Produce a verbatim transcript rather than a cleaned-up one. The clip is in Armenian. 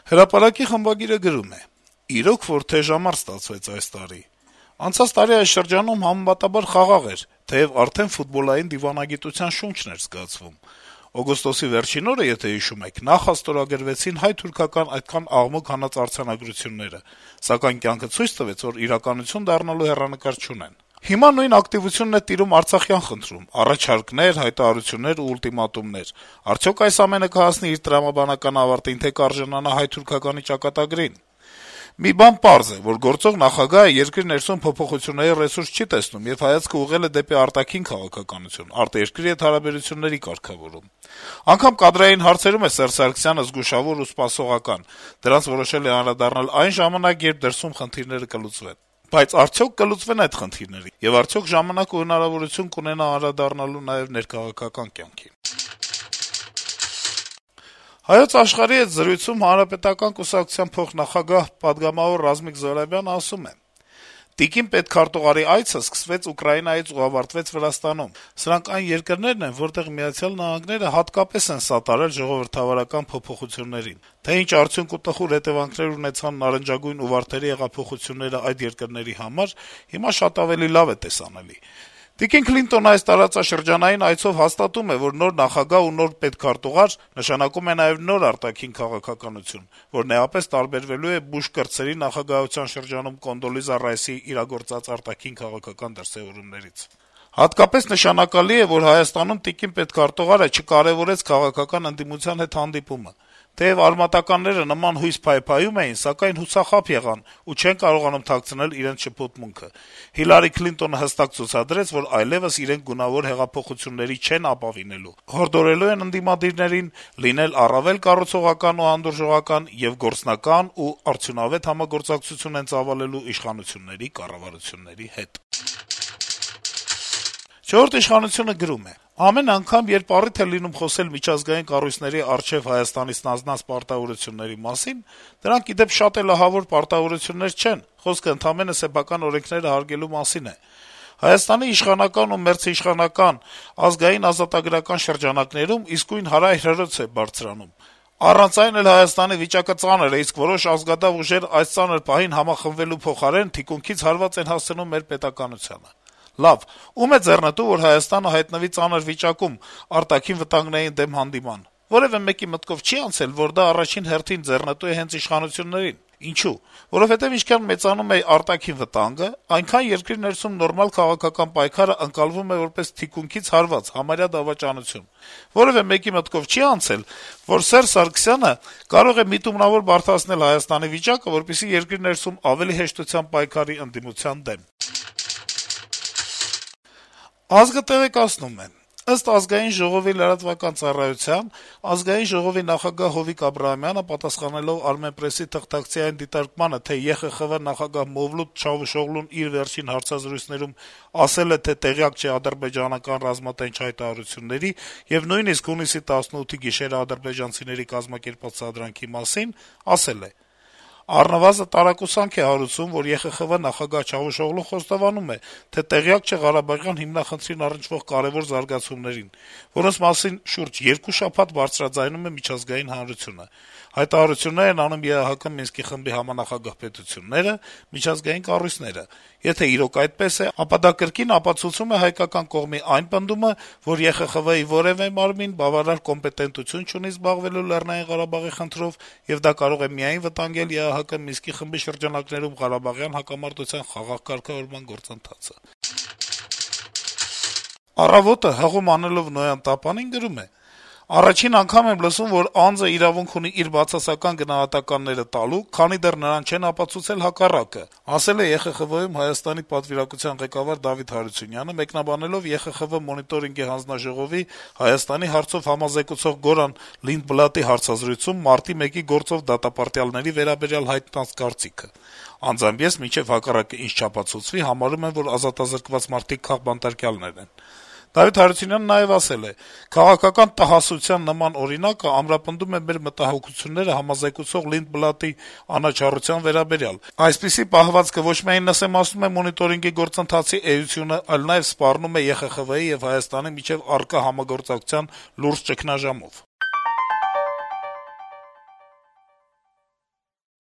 Հրապարակի խմբագիրը գրում է. - «Իրոք որ թեժամարտ ստացվեց այս տարի: Անցած տարի այս շրջանում համեմատաբար խաղաղ էր, թեեւ արդեն ֆուտբոլային դիվանագիտության շունչն էր զգացվում: Օգոստոսի վերջին օրը, եթե հիշում եք, նախ աստորագրվեցին հայ-թուրքական այդքան աղմուկ հանած արձանագրությունները, սակայն կյանքը ցույց տվեց, որ իրականություն դառնալու հեռանկար չունեն: Հիմա նույն ակտիվությունն է տիրում արցախյան խնդրում` առաջարկներ, հայտարարություններ ու ուլտիմատումներ: Արդյոք այս ամենը կհասնի իր տրամաբանական ավարտին, թե կարժանանա հայ-թուրքականի ճակատագրին: Մի բան պարզ է, որ գործող նախագահը երկրի ներսում փոփոխությունների ռեսուրս չի տեսնում եւ հայացքը ուղղել է դեպի արտաքին քաղաքականություն, արտերկրի հետ հարաբերությունների կարգավորում: Անգամ կադրային հարցերում է Սերժ Սարգսյանը զգուշավոր ու սպասողական, դրանց որոշել է անդրադառնալ այն ժամանակ, երբ դրսում խնդիրները կլուծվեն: Բայց արդյոք կլուծվեն այդ խնդիրները, եւ արդյոք ժամանակ ու հնարավորություն կունենա անդրադառնալու նաեւ ներքաղաքական կյանքին»: «Հայոց Աշխարհ»-ի հետ զրույցում Հանրապետական կուսակցության փոխնախագահ, պատգամավոր Ռազմիկ Զոհրաբյանը ասում է. - «Տիկին պետքարտուղարի այցը սկսվեց Ուկրաինայից ու ավարտվեց Վրաստանում: Սրանք այն երկրներն են, որտեղ Միացյալ Նահանգները հատկապես են սատարել ժողովրդավարական փոփոխություններին: Թե ինչ արդյունք ու տխուր հետեւանքներ ունեցան նարնջագույն ու վարդերի հեղափոխությունները այդ երկրների համար, հիմա շատ ավելի լավ է տեսանելի: Տիկին Քլինտոնը այս տարածաշրջանային այցով հաստատում է, որ նոր նախագահ ու նոր պետքարտուղար նշանակում է նաեւ նոր արտաքին քաղաքականություն, որն էապես տարբերվելու է Բուշ կրտսերի նախագահության շրջանում Կոնդոլիզա Ռայսի իրագործած արտաքին քաղաքական դրսեւորումներից: Հատկապես նշանակալի է, որ Հայաստանում տիկին պետքարտուղարը չկարեւորեց քաղաքական ընդդիմության հետ հանդիպումը: Թեեւ արմատականները նման հույս փայփայում էին, սակայն հուսախաբ եղան ու չեն կարողանում թաքցնել իրենց շփոթմունքը: Հիլարի Քլինտոնը հստակ ցուցադրեց, որ այլեւս իրենք գունավոր հեղափոխությունների չեն ապավինելու, հորդորելու են ընդդիմադիրներին լինել առավել կառուցողական ու հանդուրժողական եւ գործնական ու արդյունավետ համագործակցություն են ծավալելու իշխանությունների կառավարությունների հետ»: «Չորրորդ ինքնիշխանություն»-ը գրում է. - «Ամեն անգամ, երբ առիթ է լինում խոսել միջազգային կառույցների առջեւ Հայաստանից ստանձնած պարտավորությունների մասին, դրանք, ի դեպ, շատ էլ ահավոր պարտավորություններ չեն, խոսքը ընդամենը սեփական օրենքները հարգելու մասին է: Հայաստանի իշխանական ու մերձիշխանական, ազգային-ազատագրական շրջանակներում իսկույն հարայր-հրոց է բարձրանում: Առանց այն էլ Հայաստանի վիճակը ծանր է, իսկ որոշ ազգադավ ուժեր այս ծանր պահին համախմբվելու փոխարեն թիկունքից հարված են հասցնում մեր պետականությանը: Լավ, ո՞ւմ է ձեռնտու, որ Հայաստանը հայտնվի ծանր վիճակում արտաքին վտանգներին դեմ հանդիման: Որեւէ մեկի մտքով չի անցել, որ դա առաջին հերթին ձեռնտու է հենց իշխանություններին: Ինչո՞ւ: Որովհետեւ ինչքան մեծանում է արտաքին վտանգը, այնքան երկրի ներսում նորմալ քաղաքական պայքարը ընկալվում է որպես թիկունքից հարված, համարյա դավաճանություն: Որեւէ մեկի մտքով չի անցել, որ Սերժ Սարգսյանը կարող է միտումնավոր բարդացնել Հայաստանի վիճակը, որպեսզի երկրի ներսում ավելի հեշտությամբ պայքարի ընդդիմության դեմ»: «Ազգ»-ը տեղեկացնում է. - «Ըստ Ազգային ժողովի լրատվական ծառայության, Ազգային ժողովի նախագահ Հովիկ Աբրահամյանը, պատասխանելով «Armenpress»-ի թղթակցի այն դիտարկմանը, թե Է Խ Խ Վ նախագահ Մովլութ Չավուշօղլուն իր վերջին հարցազրույցներում ասել է, թե տեղյակ չէ ադրբեջանական ռազմատենչ հայտարարությունների եւ նույնիսկ հունիսի տասնութի գիշերը ադրբեջանցիների կազմակերպած սադրանքի մասին, ասել է. «Առնվազն տարակուսանք է հարուցում, որ Է Խ Խ Վ նախագահ Չավուշօղլուն խոստովանում է, թե տեղյակ չէ Ղարաբաղյան հիմնախնդրին առնչվող կարեւոր զարգացումներին, որոնց մասին շուրջ երկու շաբաթ բարձրաձայնում է միջազգային հանրությունը: Հայտարարություններ են անում Է Ա Հ Կ Մինսկի խմբի համանախագահ պետությունները, միջազգային կառույցները: Եթե իրոք այդպես է, ապա դա կրկին ապացուցում է հայկական կողմի այն պնդումը, որ Է Խ Խ Վ-ի որեւէ մարմին բավարար կոմպետենտություն չունի զբաղվելու Լեռնային Ղարաբաղի խնդրով, եւ դա կարող է միայն վտանգել Է Ա Հ Կ Մինսկի խմբի շրջանակներում ղարաբաղյան հակամարտության խաղաղ կարգավորման գործընթացը»: «Առավոտ»-ը, հղում անելով Նոյան Տապանին, գրում է. - «Առաջին անգամ եմ լսում, որ անձը իրավունք ունի իր բացասական գնահատականները տալու, քանի դեռ նրան չեն ապացուցել հակառակը», - ասել է Է Խ Խ Վ-ում Հայաստանի պատվիրակության ղեկավար Դավիթ Հարությունյանը, մեկնաբանելով Է Խ Խ Վ Մոնիտորինգի հանձնաժողովի Հայաստանի հարցով համազեկուցող Գորան Լինդբլատի հարցազրույցում մարտի մեկի գործով դատապարտյալների վերաբերյալ հայտնած կարծիքը. «Անձամբ ես, մինչեւ հակառակը ինձ չապացուցվի, համարում եմ, որ ազատազրկված մարդիկ քաղբանտարկյալներ են»: Դավիթ Հարությունյանը նաեւ ասել է. - «Քաղաքական տհասության նման օրինակը ամրապնդում է մեր մտահոգությունները համազեկուցող Լինդբլատի անաչառության վերաբերյալ: Այսպիսի պահվածքը ոչ միայն նսեմացնում է Մոնիտորինգի գործընթացի էությունը, այլ նաեւ սպառնում է Է Խ Խ Վ-ի եւ Հայաստանի միջեւ առկա համագործակցության լուրջ ճգնաժամով»: